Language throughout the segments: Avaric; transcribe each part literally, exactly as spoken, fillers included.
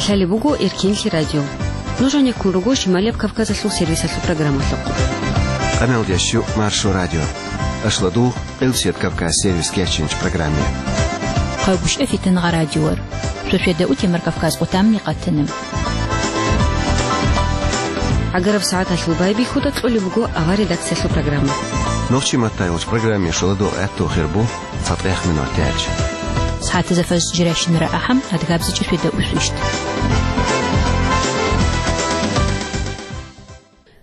Лъалеб буго Эркенлъи радио. Нуж гьанеккун руго Шималияб Кавказалъул сервисалъул программалъухъ. Къамелдящу Маршо радио. Ашладу, Къилсият Кавказ сервис кечинч программе. Хъайбушев Фитнагъа радиор. Шошведа утемар Кавказ къутамни къатана. ГӀагараб сагӀаталъул байбихьуда кьолеб буго авар редакциялъул программа. Нохчи маттайулч программе шоладо гӀатту хирбу. ЦатӀехъ минут тяч. СагӀатазда фажр жиращинара ахӀам, адгабзичӀо шведа усвищт.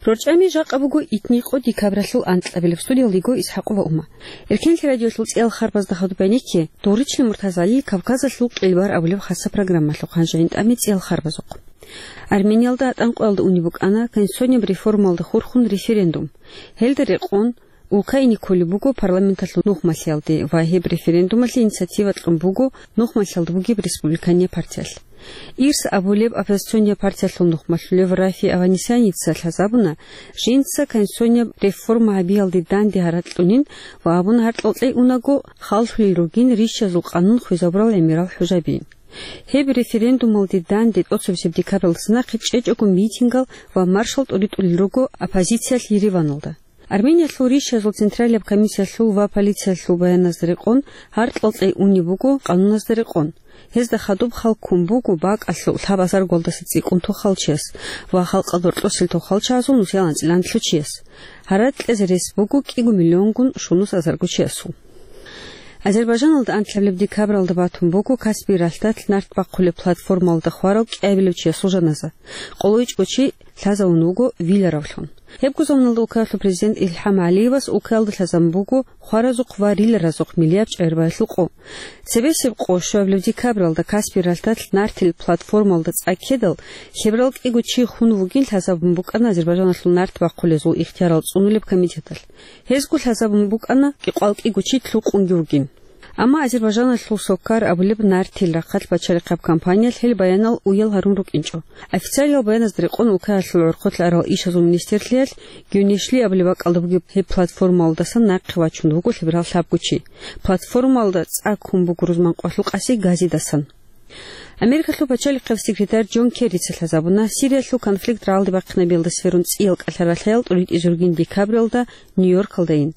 РорчӀами жакъа буго итни къо декабралъул анкьабилеб. Студиялдего Исхакъова Ума. Эркенлъи радиолъул цӀиял харбазда хадуб гьанекке, Дорични Муртазали Кавказалъул къилбар абулеб хасса программалъухъ, гьанже гӀинтӀаме цӀиял харбазухъ. Армениялда гьатӀан къоялда унеб букӀана конституцияб реформалда хурхун референдум. Гьелда рекъон, улкаялде кколеб буго парламенталъул нухмалъиялде ва гьеб референдумалъе инициатива кьун буго нухмалъиялда бугеб республиканиял партиялъ. Ирс абулеб оппозициониял партиялъул нухмалъулев Рафи Аванесяница лъазабуна, жинца конституцияб реформа гьабиялде данде гьаракь кьунин ва абуна, гьаркьал кьей унаго, халлъулел ругин рищазул къанун хвезабурал гӀемерал хӀужаби. Гьеб референдумалде данде тӀоцебесеб декабралдаса нахъе чӀечӀого митингал ва маршал тӀуритӀулел руго оппозициялъ Ереваналда. Армениялъул рищазул централияб комиссиялъул ва полициялъул баяназда рекъон, гьаркьал кьей унеб буго къануназда рекъон. Гьезда хадуб хал ккун буго бакӀалъул лъабазарго балдаса цӀикӀкӀун тохалчияс ва халкъалда рокьосел тохалчагӀазул нусиялда анцӀила анлъго чияс. Гьаракь кьезе рес буго кӀиго миллионгун щунус азарго чиясул. Азербайжаналда анлъабилеб декабралда батун буго Каспий ралъдалъ нарт бахъулеб платформалда хварав кӀиабилев чиясул жаназа. Къоло ичӀго чи лъазавун вуго виларавлъун. Гьебго заманалда улкаялъул президент Илхам ГӀалиевас улкаялда лъазабун буго хваразухъ ва риларазухъ миллияб чӀегӀербаялъул къо. Цебесеб къо щуабилеб декабралда Каспий ралъдалъ нартил платформалда цӀа ккедал, лъеберал кӀиго чи хун вугин лъазабун букӀана Азербайжаналъул нарт бахъулезул ихтиярал цӀунулеб комитеталъ. Гьезго лъазабун букӀана кӀикъоял кӀиго чи лъукъунги вугин. Амма Азербайжаналъул Сокар абулеб нартил рахъалъ бачарихъаб компаниялъ гьел баянал уял гьарун рукӀинчӀо. Официалиял баяназда рекъон улкаялъул гӀорхъолъ арал ишазул министрлъиялъ Гюнешли абулеб бакӀалда бугеб гьеб платформалдасан нахъе вачун вуго лъеберал лъабго чи. Платформалда цӀа ккун буго рузман къоялъул къаси газидасан. Америкалъул пачалихъав секретарь Джон Керрица лъазабуна Сириялъул конфликт рагӀалде бахъинабиялда сверун цӀиял кӀалъа-ралъаял тӀуритӀизе ругин декабралда Нью-Йоркалдайин.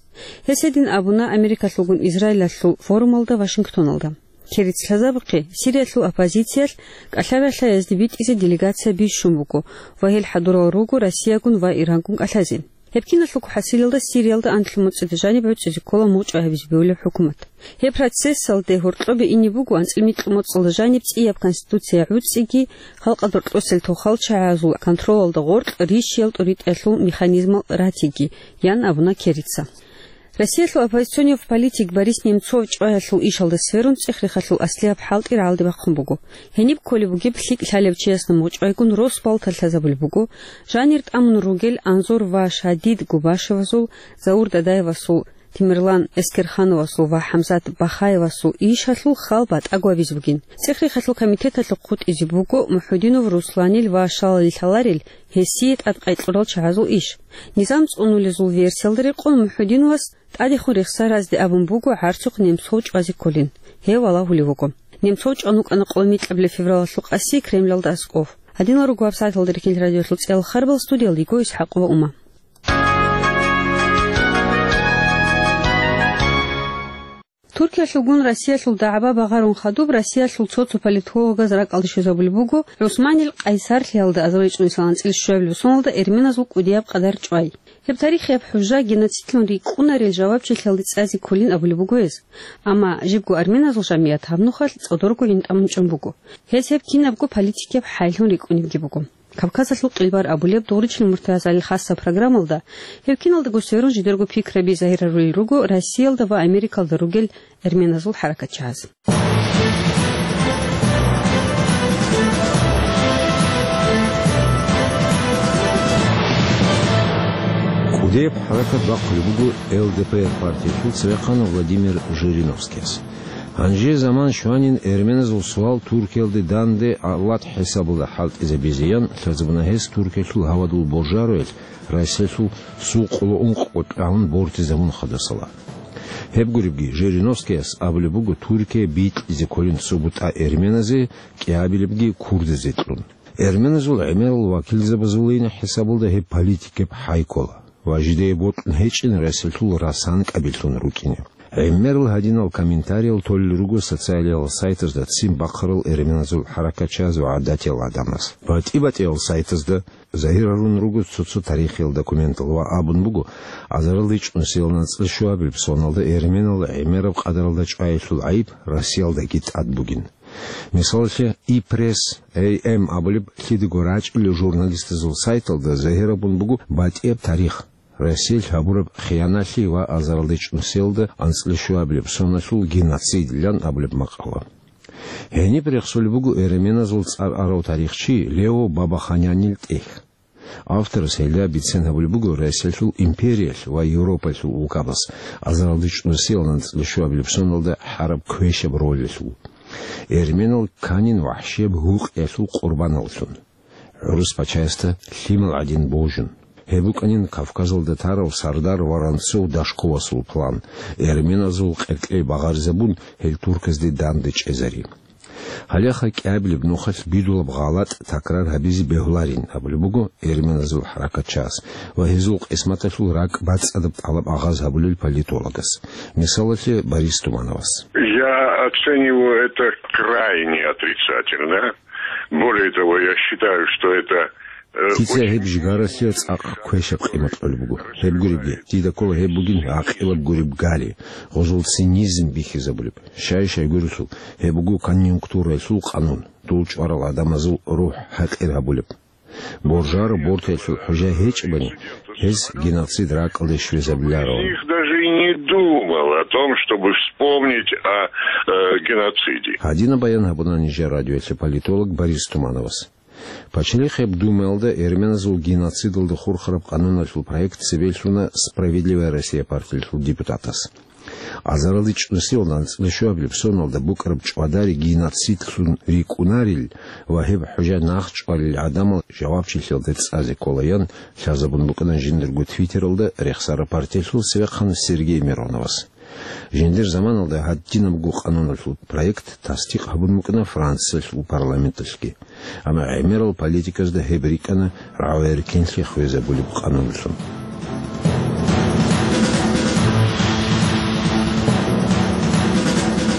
Гьес гьедин абуна Америкалъулгун Израилалъул форумалда Вашингтоналда. Керрица лъазабухъе, Сириялъул оппозициялъ кӀалъа-ралъаязде битӀизе делегация бищун буго ва гьел хӀадурал руго Россиягун ва Ирангун кӀалъазе. Гьеб киналъулго хӀасилалда Сириялда анлъго моцӀида жаниб гӀуцӀизе ккола мугъчӀвай гьабизе бегьулеб хӀукумат. Гьеб процессалде гьоркьобе ине буго анцӀила микьго моцӀалда жаниб цӀияб конституция гӀуцӀиги, халкъалда рокьосел тохалчагӀазул контролалда гъоркь рищиял тӀуритӀиялъул механизмал ратиги, ян абуна Керрица. Россиялъул оппозиционив политик Борис Немцов чӀваялъул ишалда сверун цӀех-рехалъул аслияб хӀалтӀи рагӀалде бахъун буго. Гьениб кколеб бугеб лъикӀ лъалев чиясда мугъчӀвайгун рос балталъ лъазабулеб буго, жанир тӀамун ругел Анзор ва Шадид Губашевазул, Заур Дадаевасул, Темирлан Эскерхановасул ва ХӀамзат Бахаевасул ишалъул хал батӀаго гьабизе бугин. ЦӀех-рехалъул комитеталъухъ хутӀизе буго МухӀудинов Русланил ва щалалил лъаларел гьесие тӀадкъай кьурал чагӀазул иш. Низам цӀунулезул версиялда рекъон МухӀудиновас тӀадехун рехсаразде абун буго гӀарцухъ Немцов чӀвазе кколин. Гьев валагьулев вуго. Немцов чӀван вукӀана къоло микьабилеб февралалъул къаси Кремлалда аскӀов. Гьадинал руго гьабсагӀаталда Эркенлъи радиолъул цӀиял харбал, студиялда йиго Исхакъова Ума. Туркиялъулгун Россиялъул дагӀба багъарун хадуб Россиялъул цо-цо политологаз ракӀалде щвезабулеб буго ГӀусманил къайсарлъиялда азарилчӀун исламалда анцӀила щуабилеб соналда эрменазул кӀудияб къадар чӀвай. Гьеб тарихияб хӀужа геноцидлъун рикӀкӀунарел жавабчилъиялде цӀазе кколин абулеб буго гьез. Амма жибго арменазул жамигӀат гьаб нухалъ цӀодорго гӀинтӀамун чӀун буго. Гьез гьеб кинабго политикияб хӀайлъун рикӀкӀунебги буго. Кавказалъул къилбар абулеб Дорични Муртазалил хасса программалда гьеб киналдаго сверун жидерго пикраби загьирарулел руго Россиялда ва Америкалда ругел эрменазул хӀаракатчагӀаз. КӀудияб хӀаракат бахъулеб буго Л Д П Р партиялъул цевехъан Владимир Жириновскияс. Гьанже заман щванин эрменазул суал Туркиялде данде авлад хӀисабалда хӀалтӀизабизе ян лъазабуна гьес Туркиялъул гьавадул божаруялъ Россиялъул сул къоло ункъго тӀагӀун бортизабун хадасала. Гьеб гуребги, Жириновскияс абулеб буго Туркия бикьизе кколин цо бутӀа эрменазе, кӀиабилебги курдазе кьун. Эрменазул гӀемерал вакилзабазулин хӀисабалда гьеб политикаб хӀай ккола ва жидее бокьун гьечӀин Россиялъул расан кӀабиллъун рукӀине. ГӀемерал гьадинал комментариял толел руго социалиял сайтазда ццин бахъарал эрменазул хӀаракатчияз ва гӀадатиял гӀадамаз. БатӀи-батӀиял сайтазда загьир гьарун руго цо-цо тарихиял документал ва абун буго, азаралда чӀунусиялда анцӀила щуабилеб соналда эрменал гӀемераб къадаралда чӀваялъул гӀайиб Россиялдаги тӀад бугин. Мисалалъе, «И-пресс», «Эй-эм» абулеб лъидаго рачӀунел журналистазул сайталда загьир гьабун буго батӀияб тарих, Россиялъ гьабураб хияналъи ва азаралда чӀунусиялда анцӀила щуабилеб соналъул геноцидилан абулеб макъала. Гьениб рехсолеб буго эрменазул цӀар арав тарихчи Лео Бабаханянил тӀехь. Авторас гьелда бицен гьабулеб буго Россиялъул империялъ ва Европаялъул улкабаз азаралда чӀунусиялда анцӀила щуабилеб соналда гьараб квешаб ролалъул, эрменал кканин вахӀшияб гьукъиялъул къурбаналлъун, гӀурус пачаясда лъимал гӀадин божун. Гьеб букӀанин Кавказалда тарав сардар Воронцов-Дашковасул план, эрменазул къеркьей багъаризабун, гьел турказде данде чӀезари. Гьалеха кӀиабилеб нухалъ бидулаб гъалатӀ такрар гьабизе бегьуларин абулеб буго эрменазул хӀаракатчияс ва гьезул къисматалъул ракӀ бацӀцӀадаб тӀалаб агъаз гьабулел политологас. Мисалалъе, Борис Тумановас. Я оцениваю это крайне отрицательно. Более того, я считаю, что это, э, Дица очень гьеб жигаралъе цӀакъ квешаб къимат кьолеб буго. Гьеб гуребги, дида ккола гьеб бугин гӀакъилаб гуреб гари, гъозул цинизм бихьизабулеб. Щай-щай гурелъул, гьеб буго конъюнктураялъул къанун, дул чӀварал гӀадамазул рухӀ гьакъир гьабулеб. Боржаро бортаялъул хӀужа гьечӀебани, гьез геноцид ракӀалде щвезабиларо. Из них даже и не думал о том, чтобы вспомнить о, э, геноциде. Гьадинаб баян гьабуна нижер радиоялъе политолог Борис Тумановас. Пачалихъ гьеб Думаялда эрменазул геноцидалда хурхараб къануналъул проект цебе лъуна «Справедливая Россия» партиялъул депутатас. Азаралда чӀунусиялда анцӀила щуабилеб соналда букӀараб чӀвадари геноцидлъун рикӀкӀунарил ва гьеб хӀужа нахъчӀвалел гӀадамал жавабчилъиялде цӀазе кколаян лъазабун букӀана жиндирго Твиттералда рехсараб партиялъул цевехъан Сергей Мироновас. Жиндир заманалда гьадинабго къануналъул проект тасдикъ гьабун букӀана Франциялъул парламенталъги. Амма гӀемерал политиказда гьеб рикӀкӀана рагӀи-эркинлъи хвезабулеб къанунлъун.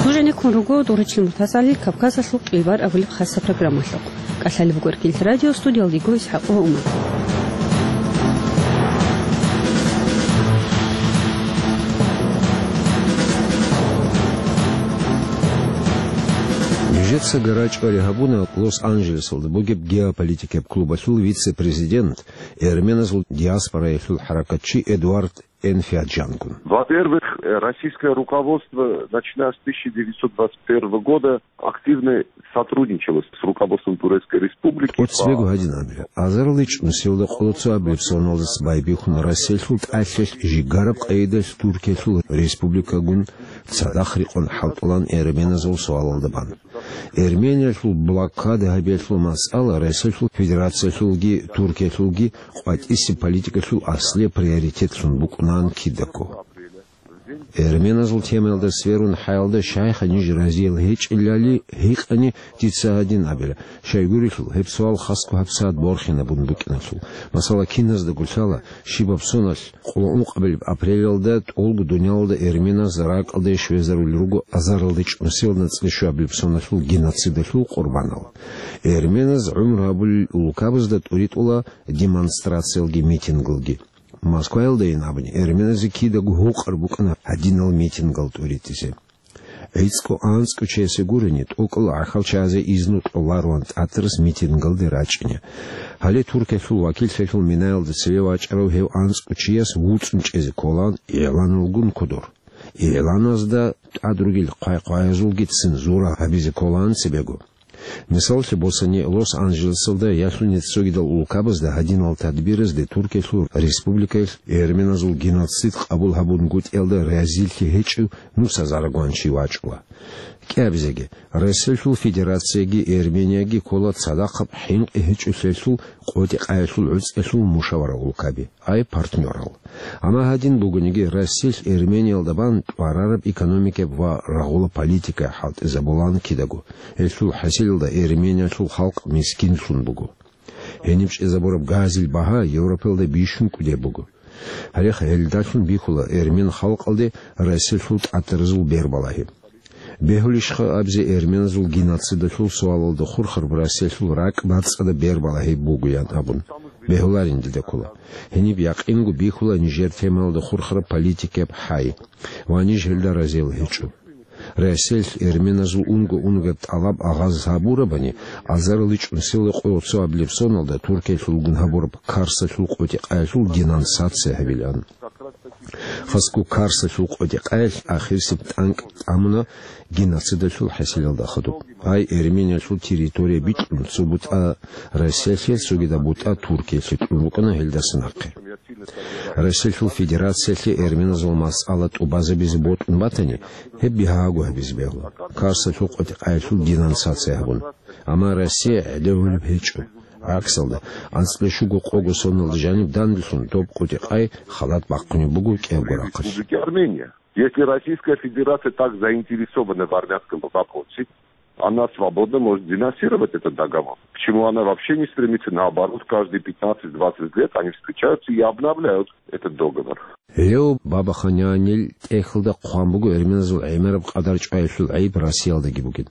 Нужениккун руго Дурачил МуртазгӀалил Кавказалъул къилбар абулеб хасаб программалъухъ. КӀалъалеб буго Эркин радио, студиялда йиго ИсхӀакъ ва Умар. Нижеца гарачӀвари гьабуна Лос-Анджелесалда бугеб геополитикаб клубалъул вице-президент, эрменазул диаспораялъул хӀаракатчи Эдуард Энфиаджангун. Во-первых, э, российское руководство, начиная с тысяча девятьсот двадцать первого года, активно сотрудничало с руководством Турецкой Республики. КӀоцӀбего гьадин абила, азаралда чӀунусиялда къоло цоабилеб соналдаса байбихьун Россиялъул тӀалъалъ жигараб къайдалъ Туркиялъул республикагун цадахъ рекъон хӀалтӀулан эрменазул суалалда бан. Эрмениялъул блокада гьабиялъул масъала Россиялъул Федерациялъулги Туркиялъулги къватӀисеб политикалъул аслияб приоритетлъун букӀунаан кидаго. Эрменазул темаялда сверун хӀаялда, щайха ниж разиял гьечӀелали гьикъани, дица гьадин абила, щайгурелъул гьеб суал хасго гьабсагӀат борхинабун букӀиналъул. Масала, киназдаго лъала, щибаб соналъ, къоло ункъабилеб апрелалда тӀолго дуниялалда эрменаз ракӀалде щвезарулел руго азаралда чӀунусиялда анцӀила щуабилеб соналъул геноцидалъул къурбанал. Эрменаз гӀумру гьабулел улкабазда тӀуритӀула демонстрациялги митингалги. Москваялдайин абуни, эрменазе кидаго гьукъар букӀана гьадинал митингал тӀуритӀизе. ГӀицӀго-анцӀго чиясе гурони, тӀокӀал гӀахьалчазе изну кьолароан тӀатарас митингалде рачӀине. Гьале Туркиялъул вакиллъиялъул минаялда цеве вачӀарав гьев анцӀго чияс вуцӀцӀун чӀезе кколаан игӀланалгун кодор. ИгӀланазда тӀад ругел хъвай-хъваязулги цензура гьабизе кколаан цебего. Мисаллъи босани, Лос-Анджелесалда ялъуни цогидал улкабазда гьадинал тадбиразде Туркиялъул республикаялъ эрменазул геноцид къабул гьабунгутӀиялда разилъи гьечӀев нусазарагван чи вачӀула. КӀиабизеги, Россиялъул Федерацияги Эрменияги ккола цадахъаб хӀинкъи гьечӀолъиялъул къотӀи-къаялъул гӀуцӀиялъул мушавара улкаби, ай партнёрал. Амма гьадин бугониги, Россиялъ Эрмениялда бан тӀварараб экономикаб ва рагъула политика хӀалтӀизабулаан кидаго, гьелъул хӀасилалда Эрмениялъул халкъ мискинлъун буго. Гьениб чӀезабураб газил багьа Европаялда бищун кӀудеб буго. Гьале гьелдалъун бихьула эрмен халкъалде Россиялъул тӀатаразул бербалагьи. Бегьулищха абизе эрменазул геноцидалъул суалалда хурхараб Россиялъул ракӀ бацӀцӀадаб бербалагьи бугоян абун? Бегьуларин дида ккола. Гьениб якъинго бихьула нижер темаялда хурхараб политикияб хӀай. Ва ниж гьелда разил гьечӀо. Россиялъ эрменазул унго-унгояб тӀалаб агъаз гьабурабани, азариличӀун села къоялъ цо абилеб соналда Туркиялъулгун гьабураб Карсалъул къотӀи-къаялъул денонсация гьабилаан. Хасго Карсалъул къотӀи-къаялъ ахирисеб тӀанкӀ тӀамуна геноцидалъул хӀасилалда хадуб. Ай Эрмениялъул территория бикьун, цо бутӀа Россиялъе, цогидаб бутӀа Туркиялъе кьун рукӀана гьелдаса нахъе. Россиялъул Федерациялъе эрменазул масъала тӀубазабизе бокьун батани, гьеб бигьаго гьабизе бегьула, Карсалъул къотӀи-къаялъул денонсация гьабун. Амма Россия гӀедегьулеб гьечӀо. ГӀаксалда, анцӀила щуго къого соналда жаниб данделъун доб къотӀи-къай халат бахъунеб буго кӀиябго рахъалъ. Республики Армения. Если Российская Федерация так заинтересована в армянском вопросе, она свободно может денонсировать этот договор. Почему она вообще не стремится, наоборот, каждые пятнадцать-двадцать лет они встречаются и обновляют этот договор? Лео Бабаханян тӀехьалда хъван буго эрменазул гӀемераб къадар чӀваялъул гӀайиб Россиялдаги бугин.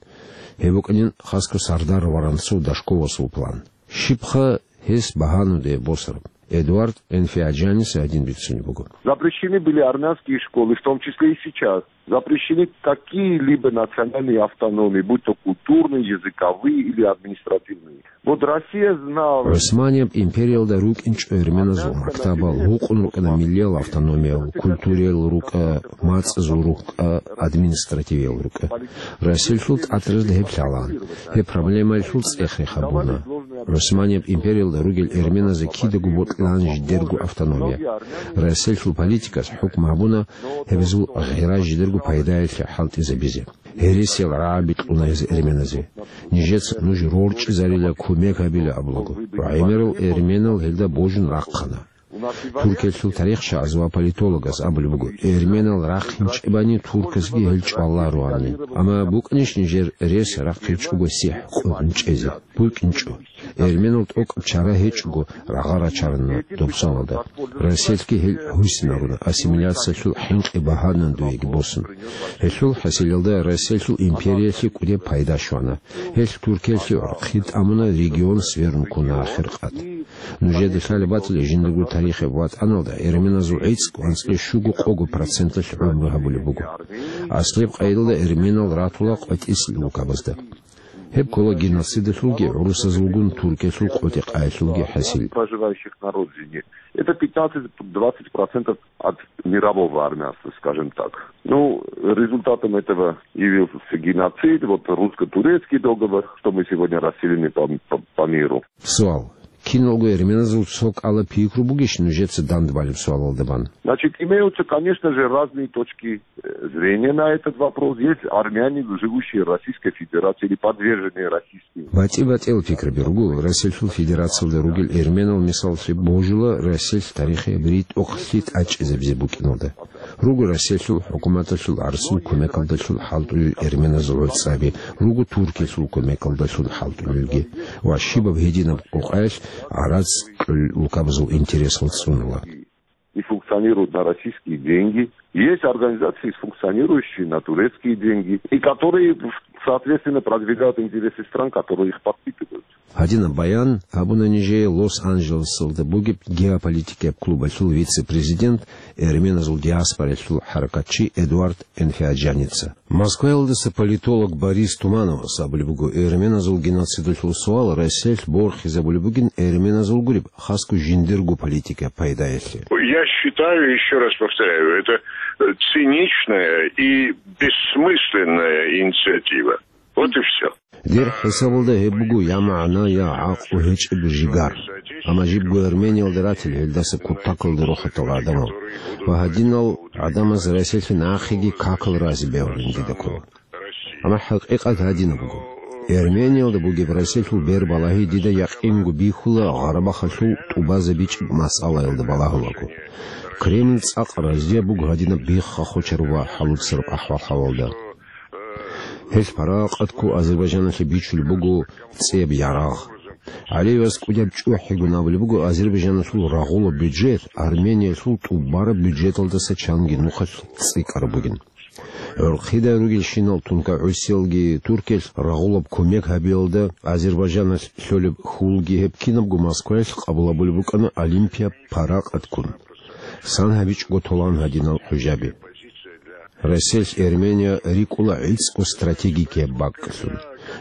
Гьеб букӀанин Хасго Сардар Воронцов Дашковасул план. Щибха гьес багьануде босараб? Эдуард Энфиаджаниса гьадин бицунеб буго. Запрещены были армянские школы, в том числе и сейчас. Запрещены какие-либо национальные автономии, будь то культурные, языковые или административные. Вот Россия знала. ГӀусманияб империялда рукӀинчӀо эрменазул мактабал гьукъун рукӀана миллиял автономиял, культуриял рукӀа, мацӀазул рукӀа, административиял рукӀа. Россиялъул тӀатаразда гьеб лъалаан. Гьеб проблемаялъул цӀех рехаб буна. ГӀусманияб империялда ругел эрменазе кидаго бокьилаан жидерго автономия. Россиялъул политикас хӀукму гьабуна гьебазул гъира жидерго пайдаялъе хӀалтӀизабизе. Гьересиял рагӀаби кьуна гьез эрменазе. Нижеца нуж рорчӀизарила, кумек гьабила абулаго. Ва гӀемерал эрменал гьелда божун рахъана. Туркиялъул тарихчияз ва политологаз абулеб буго, эрменал рахъинчӀебани турказги гьел чӀвалароани. Амма букӀанищ нижер рес рахъинчӀого сихӀ къотӀун чӀезе? БукӀинчӀо. Эрменал тӀокӀаб чара гьечӀого рагъа рачарана доб соналда. Россиялъги гьел гьусинаруна, ассимиляциялъул хӀинкъи багьанан дуеги босун. Гьелъул хӀасилалда Россиялъул империялъе кӀудеб пайда щвана. Гьелъ Туркиялъе гӀурхъи тӀамуна, регион сверун ккуна ахиркъат. Нужеда лъалеб батила, жиндирго тарихияб ватӀаналда эрменазул гӀицӀ анцӀила щуго-къого проценталъ гӀумру гьабулеб буго. Аслияб къайдалда эрменал ратула къватӀислъи улкабазда. Гьеб ккола геноцидалъулги гӀурусазулгун Туркиялъул къотӀи-къаялъулги хӀасил. Проживающих на родине. Это пятнадцать-двадцать процентов от мирового армянства, скажем так. Ну, результатом этого явился геноцид, вот русско-турецкий договор, что мы сегодня расселены по, по, по миру. Суал. Киналго эрменазул цо кӀала пикру бугищ нужеца дандбалеб суалалда бан? Значит, имеются, конечно же, разные точки, э, зрения на этот вопрос. Есть армяне, живущие в Российской Федерации или подверженные расистским. БатӀи-батӀиял пикраби руго Россиялъул Федерациялда ругел эрменал, мисаллъи божула Россиялъ тарихияб ритӀухълъи тӀачӀизабизе букӀиналда. Руго Россиялъул хӀукуматалъул гӀарцул кумекалдалъун хӀалтӀулел эрменазул гӀуцӀаби, руго Туркиялъул кумекалдалъун хӀалтӀулелги ва щибаб гьединаб къукъаялъ гӀарац кьолел улкабазул интересал цӀунула. И функционируют на российские деньги. Есть организации, функционирующие на турецкие деньги, и которые, соответственно, продвигают интересы стран, которые их подпитывают. Гьадинаб баян гьабуна нижее Лос-Анджелесалда бугеб геополитикияб клубалъул вице-президент, эрменазул диаспоралъул хӀаракатчи Эдуард Энфиаджаница. Москваялдаса политолог Борис Тумановас абулеб буго, эрменазул геноцидалъул суал Россиялъ борхизабулеб бугин эрменазул гуреб, хасго жиндирго политикаяб пайдаялъе. Я считаю, еще раз повторяю, это, э, циничная и бессмысленная инициатива. Вот и все. Дир хӀисабалда гьеб буго я магӀна, я гӀакълу гьечӀеб жигар. Амма жибго Армениялда ратила гьелдаса кутакалда рохатал гӀадамал ва гьадинал гӀадамаз Расилъе нахъеги какал рази бегьулин дида ккола. Амма хӀакъикъат гьадинаб буго. Армениялда бугеб Расилъул бербалагьи дида якъинго бихьула Гъарабахалъул тӀубазабичӀеб масъалаялда балагьулаго. Кремль цӀакъ разияб буго гьадинаб бихха-хочараб ва хӀалуцараб ахӀвал-хӀалалда. Гьелъ паракъат ккун Азербайжаналъе бичулеб буго цӀияб ярагъ. ГӀалиевас кӀудияб чӀухӀигун абулеб буго, Азербайжаналъул рагъулаб бюджет Армениялъул тӀубараб бюджеталдаса чанги нухалъ цӀикӀкӀараб бугин. ГӀурхъидай ругелщинал тункагӀусиялги Туркиялъ рагъулаб кумек гьабиялда Азербайжаналъ лъолеб хьулги гьеб кинабго Москваялъ къабул гьабулеб букӀана Олимпияб паракъат ккун. Сан гьабичӀого толан гьадинал хӀужаби. Расилъ Армения рикӀкӀула гӀицӀго стратегикияб бакӀлъун.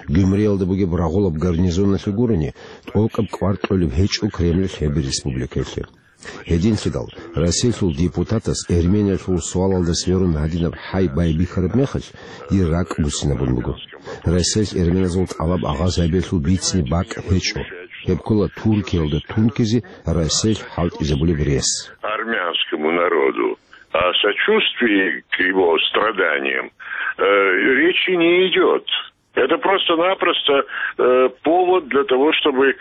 Гюмриялда бугеб рагъулаб гарнизоналъе гурони, тӀокӀаб кӀвар кьолеб гьечӀо Кремль гьеб республикаялъе. Гьединлъидал Расилъул депутатас Армениялъул суалалда сверун гьадинаб хӀай байбихьараб мехалъ, дир ракӀ буссинабун буго. Расилъ армениязул тӀалаб агъаз гьабиялъул бицине бакӀ гьечӀо. Гьеб ккола Туркиялда тункизе Расилъ хӀалтӀизабулеб рес. Армянскому народу, о сочувствии к его страданиям, э, речи не идет. Это просто-напросто, э, повод для того, чтобы, э,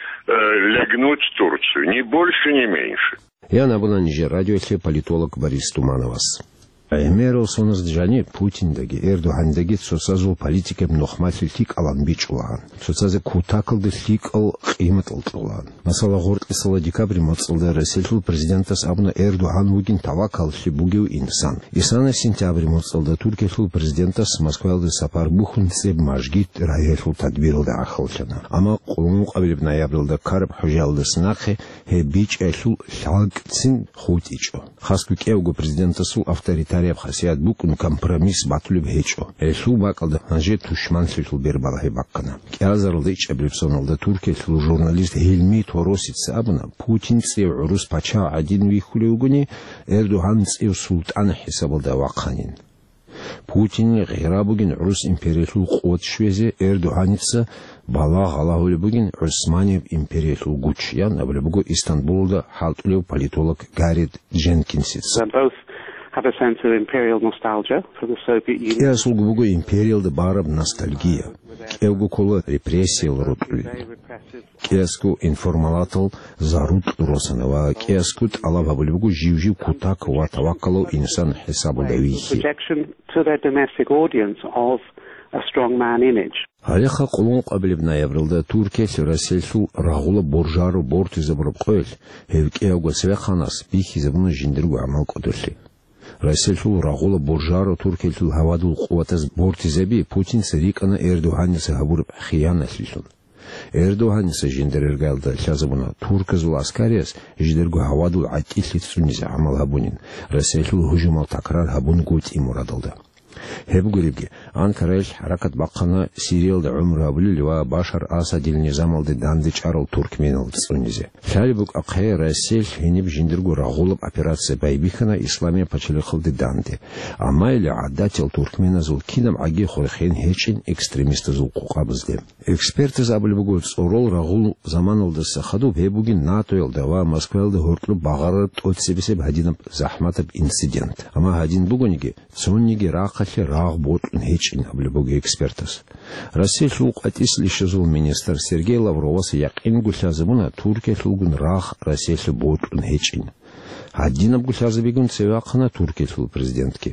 лягнуть Турцию. Ни больше, ни меньше. Ян абуна нижер радиоялъе политолог Борис Тумановас. ГӀемерал соналъ жаниб Путиндаги Эрдогьандаги цоцазул политикаб нухмалъи лъикӀалан бичӀчӀулаан. Цоцазе кутакалда лъикӀал къиматал кьолаан. Масала, гъоркьисала декабрь моцӀалда Расилъул президентас абуна Эрдогьан вугин тавакаллъи бугев инсан. Исана сентябрь моцӀалда Туркиялъул президентас Москваялде сапар бухьун цӀеб мажгит рагӀиялъул тадбиралда гӀахьаллъана. Амма къулмукъабилеб ноябралда ккараб хӀужаялдаса нахъе гьеб бичӀчӀиялъул лъалкӀцин хутӀичӀо. Хасго кӀиявго президентасул авторитарияб хасият букӀун компромисс батулеб гьечӀо. Гьелъул бакӀалда гьанже тушманлъилъул бербалагьи бахъана. КӀиазаралда ичӀабилеб соналда Туркиялъул журналист Гьилми Торосица абуна, Путин цӀив гӀурус пачагь гӀадин вихьулев вугони, Эрдогьан цӀив султӀан хӀисабалда вахъанин. Путинил гъира бугин гӀурус империялъул къуват щвезе, Эрдогьаница балагь гьалагьулеб бугин ГӀусманияб империялъул гуч, ян абулеб буго Истанбулалда хӀалтӀулев политолог Гарет Дженкинсица. They both have a sense of imperial nostalgia for the Soviet Union. КӀиасулго буго империялда бараб ностальгия. КӀиявго ккола репрессиял рокьулел. КӀиасго информалатал зарукь росана ва кӀиасго тӀалаб гьабулеб буго жив-жив кутак ва тавакалав инсан хӀисабалда вихьи. Projection to their domestic audience of a strong man image. Гьалеха къулмукъабилеб ноябралда Туркиялъ Расилъул рагъула боржаро бортизабураб къоялъ гьев кӀиявго цевехъанас бихьизабуна жиндирго гӀамал кӀодолъи. Расилъул рагъула боржаро Туркиялъул гьавадул къуватаз бортизаби Путинца рикӀкӀана Эрдогьаница гьабураб хиянатлъилъун. Эрдогьаница жиндир иргаялда лъазабуна турказул аскариялъ жидерго гьавадул гӀатӀилъи цӀунизе гӀамал гьабунин, Расилъул гьужумал такрар гьабунгутӀи мурадалда. Гьеб гуребги, Анкараялъ хӀаракат бахъана Сириялда гӀумру гьабулел ва Башар Асадил низамалде дандечӀарал туркменал цӀунизе. Лъалеб букӀахъе, Расилъ гьениб жиндирго рагъулаб операция байбихьана Исламияб пачалихъалде данде, амма или гӀадатиял туркменазул кинаб гӀаги хвехен гьечӀин экстремистазул къокъабазде. Экспертаз абулеб буго, цӀорол рагъул заманалдаса хадуб гьеб бугин НАТОялда ва Москваялда гьоркьоб багъарараб тӀоцебесеб гьадинаб захӀматаб инцидент. Амма гьадин бугониги, цониги рахъалъе рагъ бокьун гьечӀин абулеб буго экспертаз. Россиялъул къватӀислъищазул министр Сергей Лавровас якъинго лъазабуна Туркиялъулгун рагъ Россиялъе бокьун гьечӀин. Гьадинабго лъазабигун цеве вахъана Туркиялъул президентги.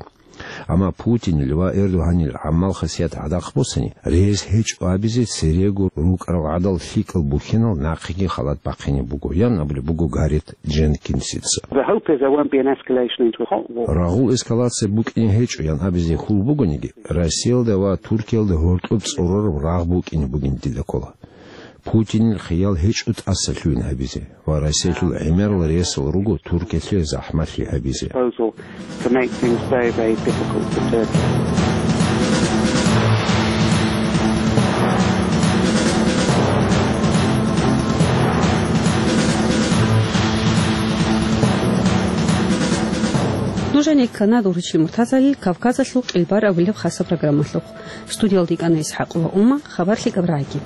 Амма Путинил ва Эрдогьанил гӀамал-хасият гӀадахъ босани, рес гьечӀо абизе церего рукӀарал гӀадал лъикӀал бухьинал нахъеги халат бахъине буго, ян абулеб буго Гарет Дженкинсица. The hope is there won't be an escalation into a hot war. Рагъул эскалация букӀине гьечӀо, ян абизе хьул бугониги, Россиялда ва Туркиялда гьоркьоб цӀорораб рагъ букӀине бугин дида ккола. Путинил хиял гьечӀо тӀасалъугьин гьабизе ва Россиялъул гӀемерал ресал руго Туркиялъе захӀмалъи гьабизе. Proposal to make things very, very difficult for Turkey. Нужеца ккана Дургьичил Муртазалил «Кавказалъул къилбар» абулеб хасаб программалъухъ. Студиялда йикӀана ИсхӀакъова Ума, хабар лъикӀаб рагӀаги.